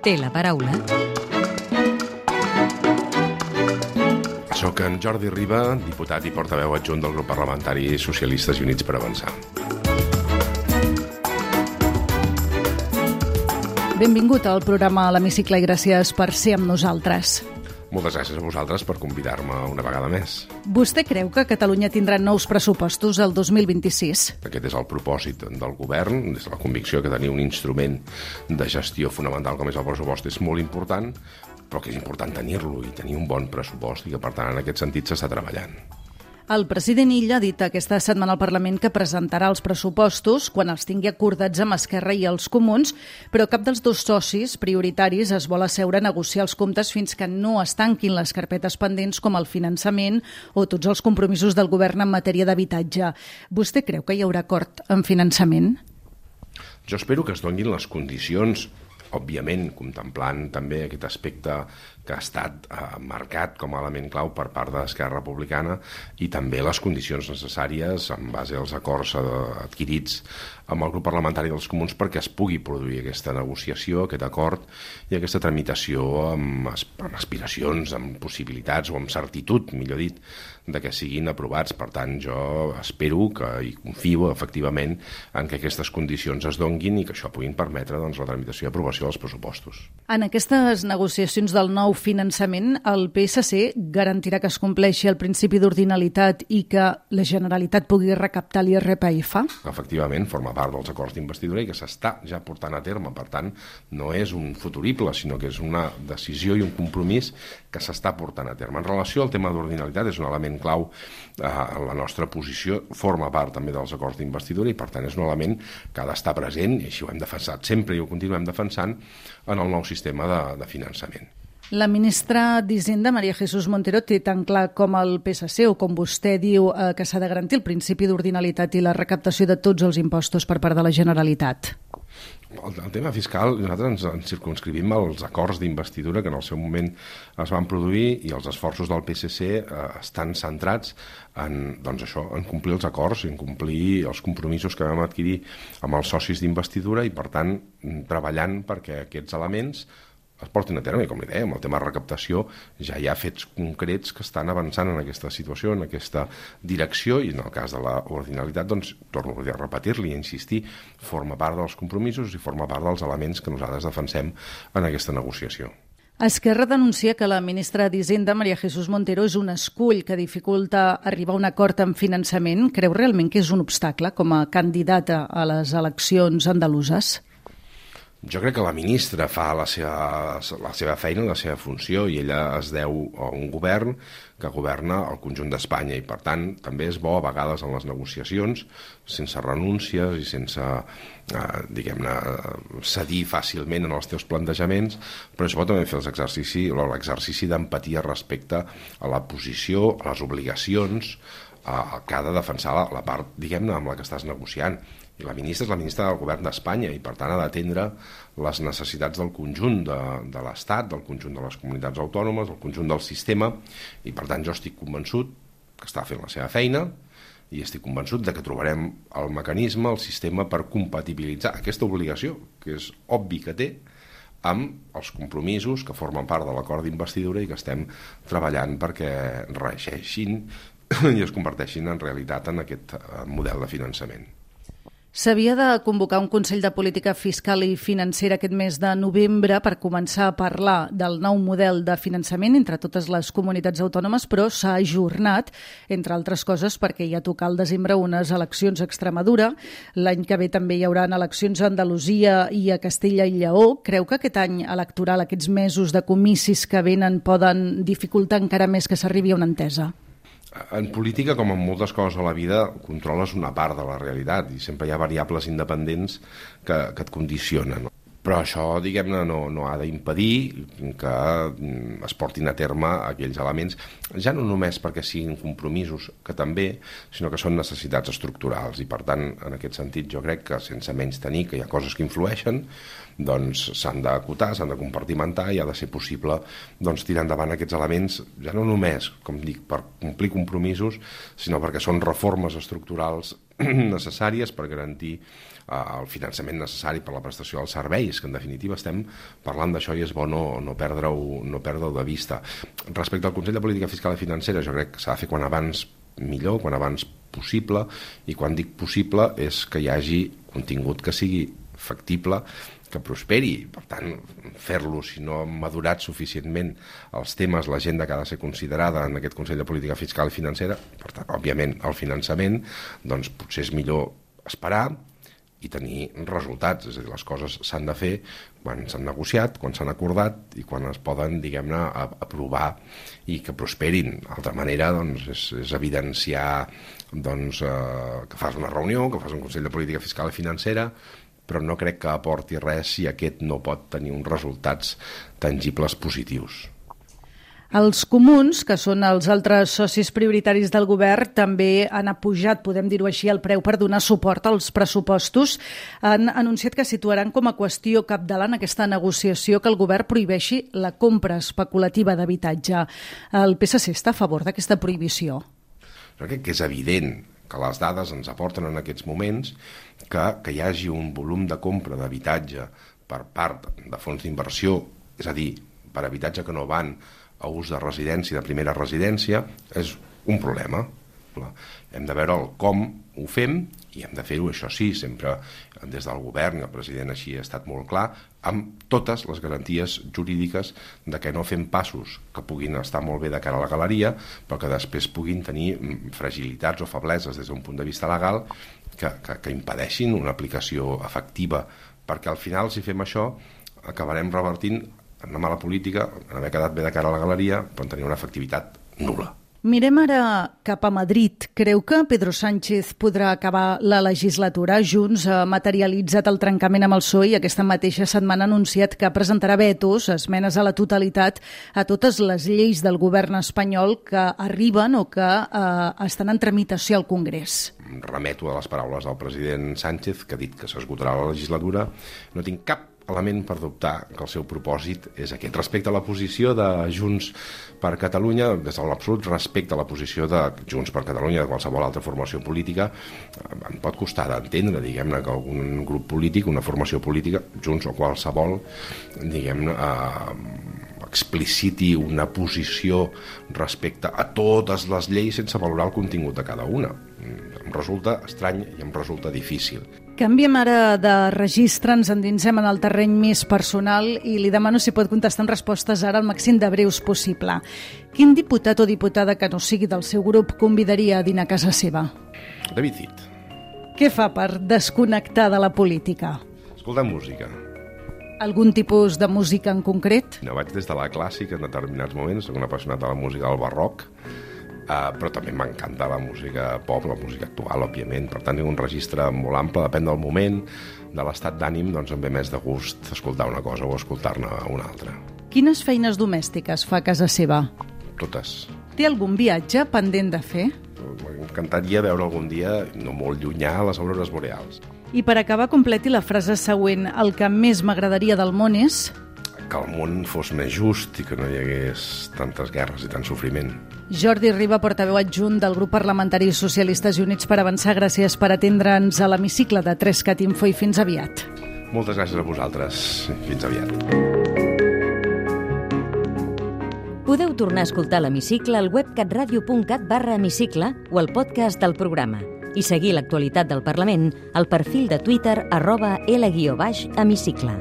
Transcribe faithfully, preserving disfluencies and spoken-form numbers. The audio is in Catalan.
té la paraula. Soc en Jordi Riba, diputat i portaveu adjunt del grup parlamentari Socialistes i Units per Avançar. Benvingut al programa a l'Hemicicle i gràcies per ser amb nosaltres. Moltes gràcies a vosaltres per convidar-me una vegada més. Vostè creu que Catalunya tindrà nous pressupostos el dos mil vint-i-sis? Aquest és el propòsit del govern, des de la convicció que tenir un instrument de gestió fonamental com és el pressupost és molt important, però que és important tenir-lo i tenir un bon pressupost i que, per tant, en aquest sentit s'està treballant. El president Illa ha dit aquesta setmana al Parlament que presentarà els pressupostos quan els tingui acordats amb Esquerra i els Comuns, però cap dels dos socis prioritaris es vol asseure a negociar els comptes fins que no es tanquin les carpetes pendents com el finançament o tots els compromisos del govern en matèria d'habitatge. Vostè creu que hi haurà acord en finançament? Jo espero que es donin les condicions, òbviament contemplant també aquest aspecte que ha estat eh, marcat com a element clau per part d'Esquerra Republicana i també les condicions necessàries en base als acords eh, adquirits amb el grup parlamentari dels Comuns perquè es pugui produir aquesta negociació, aquest acord i aquesta tramitació amb, amb aspiracions, amb possibilitats o amb certitud, millor dit, de que siguin aprovats. Per tant, jo espero que, i confio efectivament en que aquestes condicions es donguin i que això puguin permetre doncs, la tramitació i aprovació dels pressupostos. En aquestes negociacions del nou finançament, el P S C garantirà que es compleixi el principi d'ordinalitat i que la Generalitat pugui recaptar l'I R P F? Efectivament, forma part dels acords d'investidura i que s'està ja portant a terme. Per tant, no és un futurible, sinó que és una decisió i un compromís que s'està portant a terme. En relació al tema d'ordinalitat, és un element clau eh, en la nostra posició, forma part també dels acords d'investidura i per tant és un element que ha d'estar present, i així ho hem defensat sempre i ho continuem defensant en el nou sistema de, de finançament. La ministra d'Hisenda, María Jesús Montero, té tan clar com el P S C o com vostè diu eh, que s'ha de garantir el principi d'ordinalitat i la recaptació de tots els impostos per part de la Generalitat? El, el tema fiscal, nosaltres ens, ens circumscrivim als acords d'investidura que en el seu moment es van produir i els esforços del P S C eh, estan centrats en, doncs això, en complir els acords, en complir els compromisos que vam adquirir amb els socis d'investidura i, per tant, treballant perquè aquests elements es portin a terme, i com li deia, amb el tema de recaptació ja hi ha fets concrets que estan avançant en aquesta situació, en aquesta direcció, i en el cas de l'ordinalitat, doncs, torno a repetir-li i insistir, forma part dels compromisos i forma part dels elements que nosaltres defensem en aquesta negociació. Esquerra denuncia que la ministra d'Hisenda, María Jesús Montero, és un escull que dificulta arribar a un acord en finançament. Creu realment que és un obstacle com a candidata a les eleccions andaluses? Jo crec que la ministra fa la seva, la seva feina, la seva funció, i ella es deu a un govern que governa el conjunt d'Espanya i, per tant, també és bo a vegades en les negociacions, sense renúncies i sense, eh, diguem-ne, cedir fàcilment en els teus plantejaments, però és bo també fer l'exercici, l'exercici d'empatia respecte a la posició, a les obligacions eh, que ha de defensar la, la part, diguem-ne, amb la que estàs negociant. I la ministra és la ministra del govern d'Espanya i, per tant, ha d'atendre les necessitats del conjunt de, de l'Estat, del conjunt de les comunitats autònomes, del conjunt del sistema, i, per tant, jo estic convençut que està fent la seva feina i estic convençut de que trobarem el mecanisme, el sistema per compatibilitzar aquesta obligació, que és obvi que té, amb els compromisos que formen part de l'acord d'investidura i que estem treballant perquè reeixeixin i es converteixin en realitat en aquest model de finançament. S'havia de convocar un Consell de Política Fiscal i Financera aquest mes de novembre per començar a parlar del nou model de finançament entre totes les comunitats autònomes, però s'ha ajornat, entre altres coses, perquè hi ha a tocar al desembre unes eleccions a Extremadura. L'any que ve també hi haurà eleccions a Andalusia i a Castella i Lleó. Creu que aquest any electoral, aquests mesos de comicis que venen, poden dificultar encara més que s'arribi a una entesa? En política, com en moltes coses a la vida, controles una part de la realitat i sempre hi ha variables independents que, que et condicionen. Però això, diguem-ne, no, no ha d'impedir que es portin a terme aquells elements, ja no només perquè siguin compromisos, que també, sinó que són necessitats estructurals. I, per tant, en aquest sentit, jo crec que sense menys tenir que hi ha coses que influeixen, doncs s'han d'acotar, s'han de compartimentar i ha de ser possible doncs, tirar endavant aquests elements, ja no només, com dic, per complir compromisos, sinó perquè són reformes estructurals necessàries per garantir el finançament necessari per la prestació dels serveis, que en definitiva estem parlant d'això i és bo no, no perdre-ho no perdre de vista. Respecte al Consell de Política Fiscal i Financera, jo crec que s'ha de fer quan abans millor, quan abans possible, i quan dic possible és que hi hagi contingut que sigui factible, que prosperi. Per tant, fer-lo, si no han madurat suficientment els temes, l'agenda que ha de ser considerada en aquest Consell de Política Fiscal i Financera, per tant, òbviament, el finançament, doncs potser és millor esperar i tenir resultats. És a dir, les coses s'han de fer quan s'han negociat, quan s'han acordat i quan es poden, diguem-ne, aprovar i que prosperin. D'altra manera, doncs, és, és evidenciar doncs, eh, que fas una reunió, que fas un Consell de Política Fiscal i Financera, però no crec que aporti res si aquest no pot tenir uns resultats tangibles positius. Els comuns, que són els altres socis prioritaris del govern, també han apujat, podem dir-ho així, el preu per donar suport als pressupostos. Han anunciat que situaran com a qüestió capdalant aquesta negociació que el govern prohibeixi la compra especulativa d'habitatge. El P S C està a favor d'aquesta prohibició? Jo crec que és evident que les dades ens aporten en aquests moments que, que hi hagi un volum de compra d'habitatge per part de fons d'inversió, és a dir, per habitatge que no van a ús de residència, de primera residència, és un problema. Hem de veure el com ho fem i hem de fer-ho, això sí, sempre des del govern, el president així ha estat molt clar, amb totes les garanties jurídiques de que no fem passos que puguin estar molt bé de cara a la galeria, però que després puguin tenir fragilitats o febleses des d'un punt de vista legal que, que, que impedeixin una aplicació efectiva, perquè al final, si fem això, acabarem revertint en una mala política, en haver quedat bé de cara a la galeria, però tenir una efectivitat nul·la. Mirem ara cap a Madrid. Creu que Pedro Sánchez podrà acabar la legislatura? Junts ha materialitzat el trencament amb el P S O E i aquesta mateixa setmana ha anunciat que presentarà vetos, esmenes a la totalitat, a totes les lleis del govern espanyol que arriben o que eh, estan en tramitació al Congrés. Remeto a les paraules del president Sánchez, que ha dit que s'esgotarà la legislatura. No tinc cap element per dubtar que el seu propòsit és aquest. Respecte a la posició de Junts per Catalunya, des de l'absolut respecte a la posició de Junts per Catalunya, de qualsevol altra formació política, em pot costar d'entendre, diguem-ne, que algun grup polític, una formació política, Junts o qualsevol, diguem-ne, eh, expliciti una posició respecte a totes les lleis sense valorar el contingut de cada una. Em resulta estrany i em resulta difícil. Canviem ara de registre, ens endinsem en el terreny més personal i li demano si pot contestar amb respostes ara al màxim de breus possible. Quin diputat o diputada que no sigui del seu grup convidaria a dinar a casa seva? David Cid. Què fa per desconnectar de la política? Escoltar música. Algun tipus de música en concret? No, vaig des de la clàssica en determinats moments, soc un apassionat de la música del barroc, Uh, però també m'encanta la música pop, la música actual, òbviament. Per tant, tinc un registre molt ample, depèn del moment, de l'estat d'ànim, doncs em ve més de gust escoltar una cosa o escoltar-ne una altra. Quines feines domèstiques fa a casa seva? Totes. Té algun viatge pendent de fer? M'encantaria veure algun dia, no molt llunyà, les aurores boreals. I per acabar, completi la frase següent. El que més m'agradaria del món és... que el món fos més just i que no hi hagués tantes guerres i tant sofriment. Jordi Riba, portaveu adjunt del grup parlamentari Socialistes i Units per Avançar, gràcies per atendre'ns a l'hemicicle de Trescat Info i fins aviat. Moltes gràcies a vosaltres. Fins aviat. Podeu tornar a escoltar l'hemicicle al web catradio punt cat barra hemicicle o al podcast del programa i seguir l'actualitat del Parlament al perfil de Twitter arroba L guió baix hemicicle.